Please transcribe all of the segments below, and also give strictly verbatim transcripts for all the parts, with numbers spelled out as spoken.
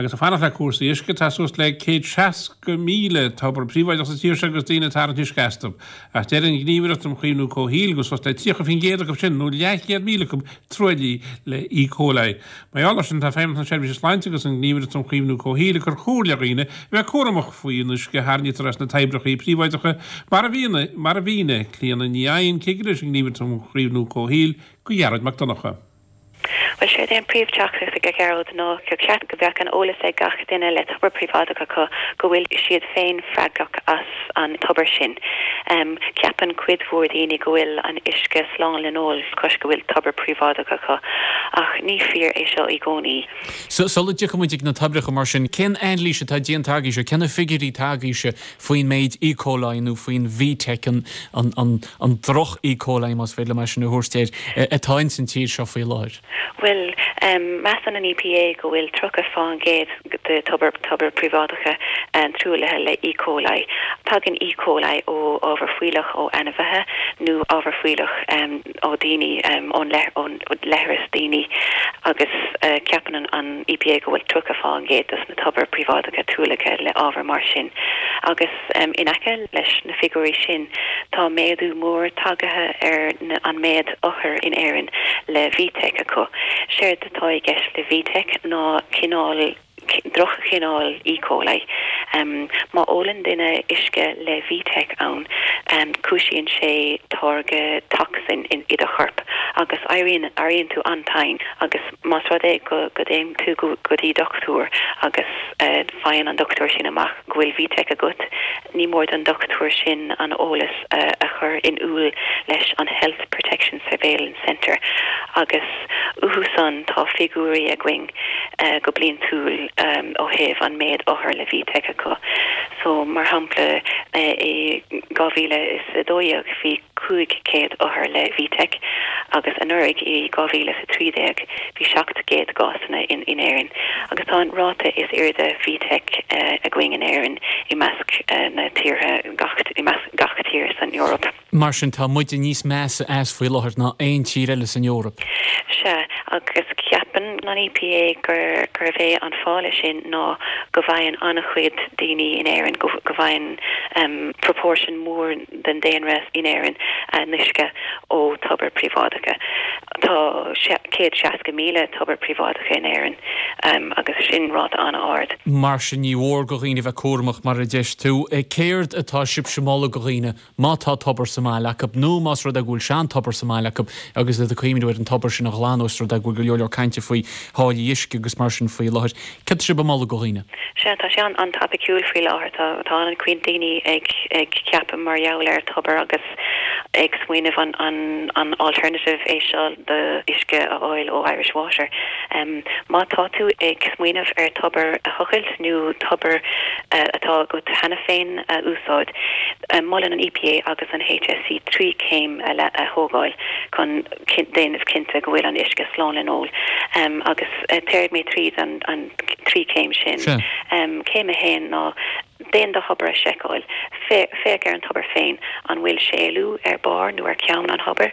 Agus ag fanacht le cúrsaí uisce tá suas le céad seasca míle tobar príobháideach sa tír seo agus daoine ag tarraingt uisce astu. Ach deir an Ghníomhaireacht um Chaomhnú Comhshaoil go suas le tríocha faoin gcéad acu sin nó leathchéad míle acu truaillithe le E. coli. Mar gheall air sin tá Feidhmeannas na Seirbhíse Sláinte agus an Ghníomhaireacht um Chaomhnú Comhshaoil ag cur comhairle ar dhaoine a bheith cúramach faoin uisce a tharraingítear as na toibreacha príobháideacha mar a mhínigh mar a mhínigh Clíona Ní Eidhin cigire leis an nGníomhaireacht um Chaomhnú Comhshaoil go Gearóid Mac Donncha. Well sé an príomhteachtaireacht a Ghearóid ná go ceart go mbeadh an eolas ag gach duine le tobar príobháideach acu go bhfuil siad féin freagrach as an tobar sin. Um, ceapann cuid mhór daoine go bhfuil an uisce slán le n-ól toisc go bhfuil tobar príobháideach acu ach ní fíor é seo i gcónaí. So sula dtiocfaimid ag na toibreacha mar sin cén anailís atá déanta agaibhse cé na figiúirí atá agaibhse faoin méid E. coli nó faoin VTEC an, an, an, an droch E. coli más féidir mar sin a thabhairt air atá in san tír seo faoi láthair. Well, um, measann an EPA go bhfuil tríocha faoin gcéad de tobar tobar príobháideacha um, truaillithe le E. coli. Tagann E. coli ó ábhar fuílleach ó ainmhithe nó ábhar fuílleach um, ó daoine um, ón leithreas daoine agus uh, ceapann an, an EPA go bhfuil tríocha faoin gcéad dos na tobar príobháideacha truaillithe le ábhar mar sin. Agus um, in aice leis na figiúirí sin tá méadú mór tagtha ar na, an méid othar in Éirinn le VTEC acu. Séard atá i gceist le VTEC ná cineál drochchineál E. coli. Um, má ólann duine uisce le VTEC ann um, cúisíonn sé táirge toxin in i do chorp agus éiríonn éiríonn tú an-tinn agus más rud é go go dtéann tú go go dtí dochtúir agus uh, faigheann an dochtúir sin amach go bhfuil VTEC agat ní mór don dochtúir sin an eolas uh, a chur in iúl leis an Health Protection Surveillance Centre agus uathusan tá figiúirí againn uh, go bliantúil um, ó thaobh an méid othar le VTEC acu. So mar shampla uh, i dhá mhíle is a dó dhéag bhí cúig céad othar le VTEC agus anuraidh i dhá mhíle a trí déag bhí seacht gcéad cásanna in in Éirinn. agus tá an ráta is airde VTEC uh, againn in Éirinn i measc uh, na tíortha gach i measc gach tír san Eoraip. Mar sin tá muide níos measa as faoi láthair ná aon tír eile san Eoraip. Sea agus ceapann an EPA gur gur é an fáth sin ná go bhfaigheann an-chuid daoine in Éirinn go go bhfaigheann um, proportion mór den daonra in Éirinn uh, uisce ó tobar príobháideacha. Tá céad seasca míle tobar príobháideacha in Éirinn um, agus sin ráta an-ard. Mar sin ní mór do dhaoine bheith cúramach mar a deir tú céard atá sibhse ag moladh do dhaoine má tá tobar sa mbaile acu nó más rud é go bhfuil seantobar sa mbaile acu agus le cuimhneamh ar an tobar sin a ghlanadh ós rud é go bhfuil go leor cainte faoi tháillí uisce agus mar sin faoi láthair. Cad sibh ag moladh do dhaoine? Sea tá sé an-topaiciúil faoi láthair tá tá an-chuid daoine ag ag ceapadh mar gheall ar tobar agus ag smaoineamh an an an alternative é seo do uisce a fháil ó Irish Water. Um, má tá tú ag smaoineamh ar tobar a thochailt nó tobar uh, atá agat cheana féin a úsáid. Um, molann an EPA agus an HSE trí céim a, a thógáil chun déanamh cinnte go bhfuil an uisce slán le n-ól um, agus uh, tabharfaidh mé tríd an, an trí céim sin. Sure. Um, céim a haon ná déan do thobar a sheiceáil féach ar an tobar féin an bhfuil séalú ar barr nó ar ceann an thobair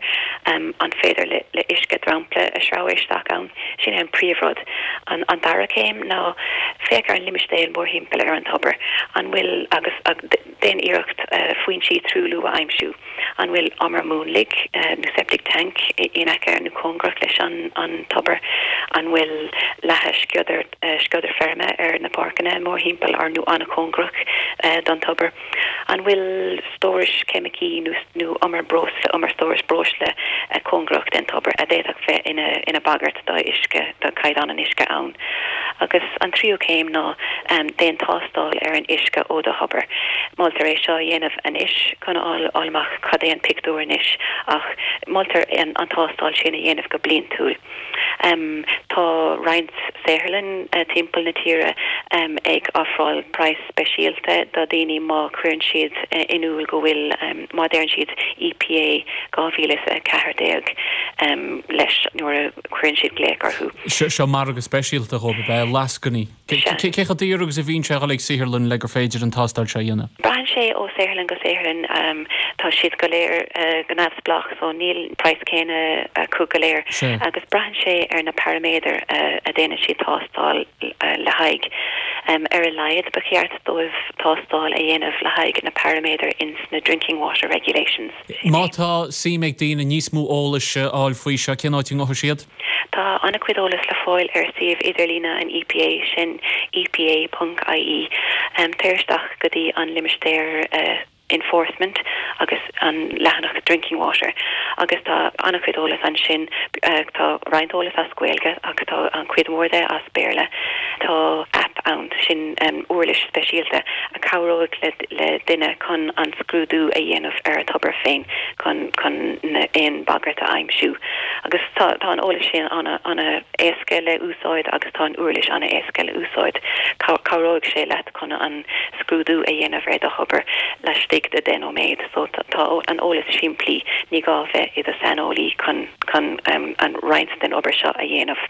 um, an féidir le, le uisce dromchla a shreabhadh isteach ann sin an príomhrud an, an dara céim ná féach ar an limistéar mórthimpeall ar an tobar an bhfuil agus ag, déan iarracht uh, foinsí truailliú a aimsiú an bhfuil umar múnlaigh uh, nó septic tank in aice nó cóngarach leis an, an tobar an bhfuil leathadh sciodar uh, sciodar feirme ar na páirceanna mórthimpeall ar nó an-chóngarach uh, don tobar. An bhfuil stórais ceimicí nó nó umar breosla umar stórais breosla uh, cóngarach den tobar a d'fhéadfadh bheith ina ina bagairt do uisce do chaighdeán an uisce ann. Agus an tríú céim ná um, déan tástáil ar an uisce ó do thobar. Moltar é seo dhéanamh anois chun fháil amach cad é an pictiúr anois ach moltar an, an tástáil sin a dhéanamh go bliantúil. Um, tá roinnt saotharlann uh, timpeall na tíre um, ag ofráil praghas speisialta do daoine má chuireann siad uh, in iúl go bhfuil um, má deireann siad EPA dhá mhíle a ceathair déag um, leis nuair a chuireann siad glaoch orthu. Seo margadh speisialta go be lascainí. Cé chomh daor agus a bhíonn sé a dhul ag saotharlann le gur féidir an tástáil seo a dhéanamh? Braitheann sé ó saotharlann go saotharlann. Tá siad go léir go neamhspleách so níl praghas céanna acu go léir. Agus braitheann sé ar na paraiméadair a déanann siad tástáil le haghaidh. Ar a laghad ba cheart dóibh tástáil a dhéanamh le haghaidh na paraiméadair ins na Drinking Water Regulations. Má tá suim ag daoine níos mó eolais a fháil faoi seo, cén áit a ngabhfaidh siad? Tá an-chuid eolas le fáil ar suíomh idirlíne an EPA, sin EPA ponc IE. Téir isteach go dtí an limistéar Enforcement agus an leathanach Drinking Water agus tá an-chuid eolas ansin. Tá roinnt eolas as Gaeilge ach tá an chuid mhór de as Béarla. Tá app ann, sin uirlis speisialta a chabhróidh le duine chun an scrúdú a dhéanamh ar a thobar féin chun chun aon bagairt a aimsiú. Agus tá tá an eolas sin ana ana éasca le úsáid agus tá an uirlis ana éasca le úsáid. Cabhróidh sé leat chun an scrúdú a dhéanamh ar do thobar laistigh de deich nóiméad. So tá an eolas simplí, ní gá bheith i do saineolaí chun chun an roinnt den obair seo a dhéanamh.